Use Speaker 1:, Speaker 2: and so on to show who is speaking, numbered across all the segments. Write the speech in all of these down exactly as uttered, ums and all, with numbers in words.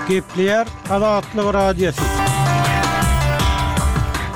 Speaker 1: Gepleýär Azatlyk Radiosy.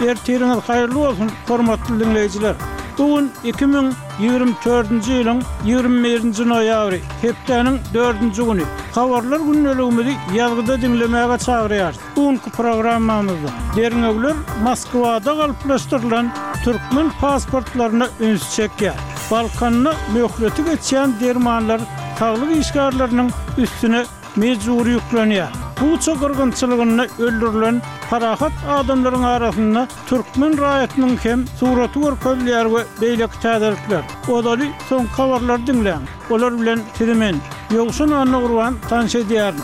Speaker 1: Ertiriňiz haýyrly bolsun, hormatly diňleýjiler! Bu gün iki müň ýigrimi dördünji ýylyň ýigrimi birinji noýabry, hepdäniň dördünji güni. Habarlar gündeligimizi ýazgyda diňlemäge çagyrýarys. Bu günki programmamyzda derňewler Moskwada galplaşdyrylan türkmen pasportlaryna ünsi çekýär. Balkanda möhleti geçýän dermanlar saglyk işgärleriniň üstüne mejbury ýüklenýär. Buça gyrgynçylygynda öldürilen parahat adamlaryň arasynda türkmen raýatynyň hem suraty görkezilýär we beýleki täzelikler. Ozaly soňky habarlary diňläň. Olar bilen sizi men, Ýowşan Annagurban tanyş edýärin.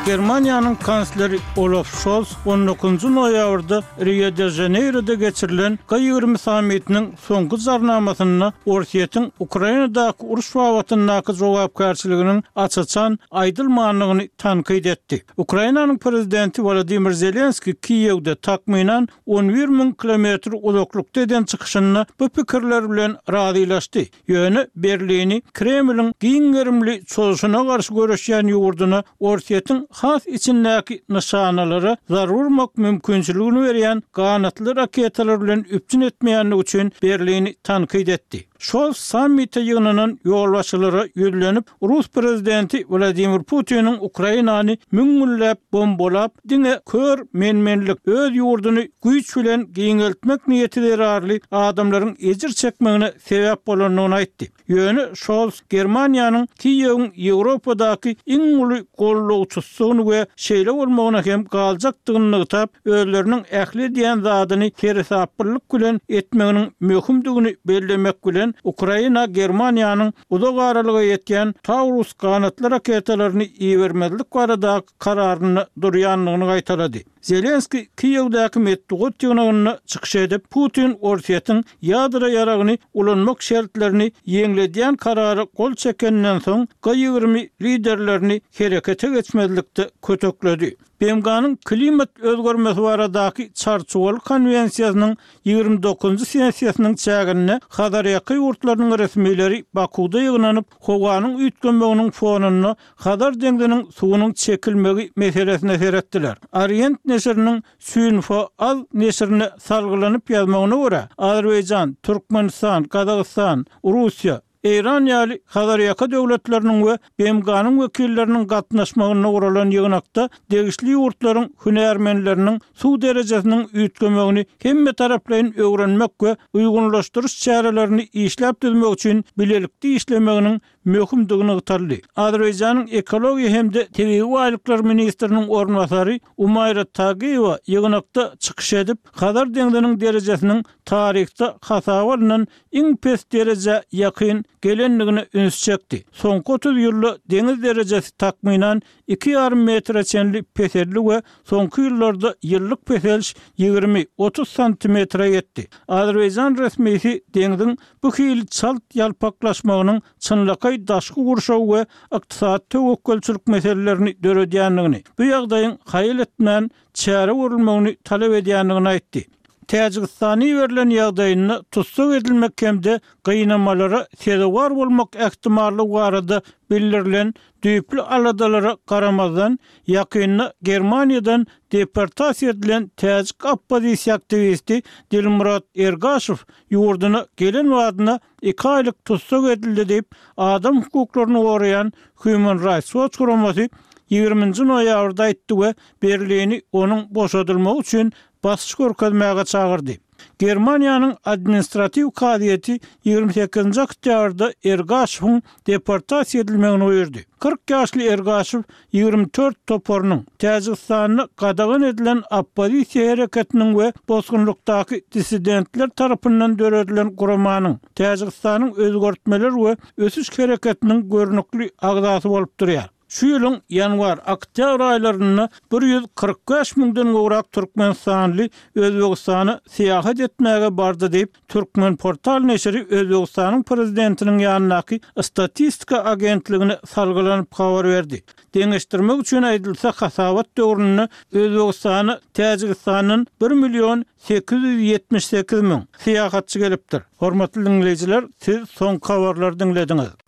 Speaker 1: Germaniýanyň kansleri Olaf Şolz on dokuzynjy noýabrda Rio-de-Žaneýroda geçirilen G ýigrimi sammitiniň soňky jarnamasynda Orsýetiň Ukrainadaky uruş babatyndaky jogapkärçiliginiň aç-açan aýdylmandygyny tankyt etdi. Ukrainanyň prezidenti Wolodymyr Zelenskiý Kiýewde takmynan on bir müň kilometr uzaklykda eden çykyşynda bu pikirler bilen razylaşdy. Ýöne Berlini Kremliň giň gerimli çozuşyna garşy göreşýän ýurduna Orsýetiň has içindäki nyşanalara zarba urmak mümkinçiligini berýän ganatly raketalar bilen üpjün etmeýändigi üçin Berlini tankyt etdi. Şol sammite ýygnanan ýolbaşçylara ýüzlenip, rus prezidenti Wladimir Putiniň Ukrainany müň günläp bombalap, diňe kör men-menlik, öz ýurduny güýç bilen giňeltmek niýeti zerarly adamlaryň ejir çekmegine sebäp bolandygyny aýtdy. Ýöne Şolz Germaniýanyň Kiýewiň Ýewropadaky iň uly gollagçysydygyny we şeýle bolmagyna hem galjakdygyny nygtap, özleriniň ähli edýän zadyny seresaplylyk bilen etmeginiň möhümdigini bellemek bilen, Ukraina Germaniýanyň uzak aralyga ýetýän Taurus ganatly raketalaryny ibermezlik baradaky kararynda durýandygyny gaýtalady. Zelenskiý Kiýewdäki metbugat ýygnagynda çykyş edip, Putin Orsýetiň ýadro ýaragyny ulanmak şertlerini ýeňledýän karara gol çekeninden soň G ýigrimi liderlerini herekete geçmezlikde kötekledi. B M G-nyň klimat özgermesi baradaky Çarçuwaly konwensiýasynyň ýigrimi dokuzynjy sessiýasynyň çäginde Hazarýaka ýurtlarynyň resmileri Bakuwda ýygnanyp, howanyň üýtgemeginiň fonunda Hazar deňziniň suwunyň çekilmegi meselesine seretdiler. Orient neşiriniň Xinhua Az neşirine salgylanyp ýazmagyna görä, Azerbaýjan, Türkmenistan, Gazagystan, Russiýa, Eýran ýaly Hazarýaka döwletleriniň we B M G-nyň wekilleriniň gatnaşmagynda guralan ýygnakda degişli ýurtlaryň hünärmenleriniň suw derejesiniň üýtgemegini hemmetaraplaýyn öwrenmek we uýgunlaşdyryş çärelerini işläp düzmek üçin bilelikde işlemeginiň möhümdigi nygtaldy. Azerbaýjanyň ekologiýa hem-de tebigy baýlyklar ministriniň orunbasary Umaýra Tagiýewa ýygnakda çykyş edip, Hazar deňziniň derejesiniň taryhda hasaba alnan iň pes derejä ýakyn gelendigine üns çekdi. Soňky otuz ýylda deňiz derejesi takmynan iki ýarym metre çenli peseldi we soňky ýyllarda ýyllyk peseliş ýigrimi, otuz santimetre ýetdi. Azerbaýjan resmisi deňziň bu hili çalt ýalpaklaşmagynyň çynlakaý daşky gurşaw we ykdysady töwekgelçilik meselelerini döredýändigini, bu ýagdaýyň haýal etmän çäre görülmegini talap edýändigini aýtdy. Täjigistana iberilen ýagdaýynda tussag edilmek hem-de gynamalara sezewar bolmak ähtimallygy barada bildirilen düýpli aladalara garamazdan, ýakynda Germaniýadan deportasiýa edilen täjik oppozisiýa aktiwisti Dilmurod Ergaşow ýurduna gelen badyna iki aýlyk tussag edildi diýip, adam hukuklaryny goraýan Human Rights Watch guramasy ýigriminji noýabrda aýtdy we Berlini onuň boşadylmagy üçin basyş görkezmäge çagyrdy. Germaniýanyň administratiw kazyýeti ýigrimi sekizinji oktýabrda Ergaşowyň deportasiýa edilmegini buýurdy. Kyrk ýaşly Ergaşow ýigrimi dört toparynyň, Täjigistanda gadagan edilen oppozisiýa hereketiniň we bosgunlykdaky dissidentler tarapyndan döredilen guramanyň, Täjigistanyň özgertmeler we ösüş hereketiniň görnükli agzasy bolup durýar. Şu ýylyň ýanwar-oktýabr aýlarynda bir ýüz kyrk bäş müňden gowrak türkmenistanly Özbegistana syýahat etmäge bardy diýip, Türkmenportal neşiri Özbegistanyň prezidentiniň ýanyndaky statistika agentligine salgylanyp habar berdi. Deňeşdirmek üçin aýdylsa, hasabat döwründe Özbegistana Täjigistandan bir million sekiz ýüz ýetmiş sekiz müň syýahatçy gelipdir. Hormatly diňleýjiler, siz soňky habarlary diňlediňiz.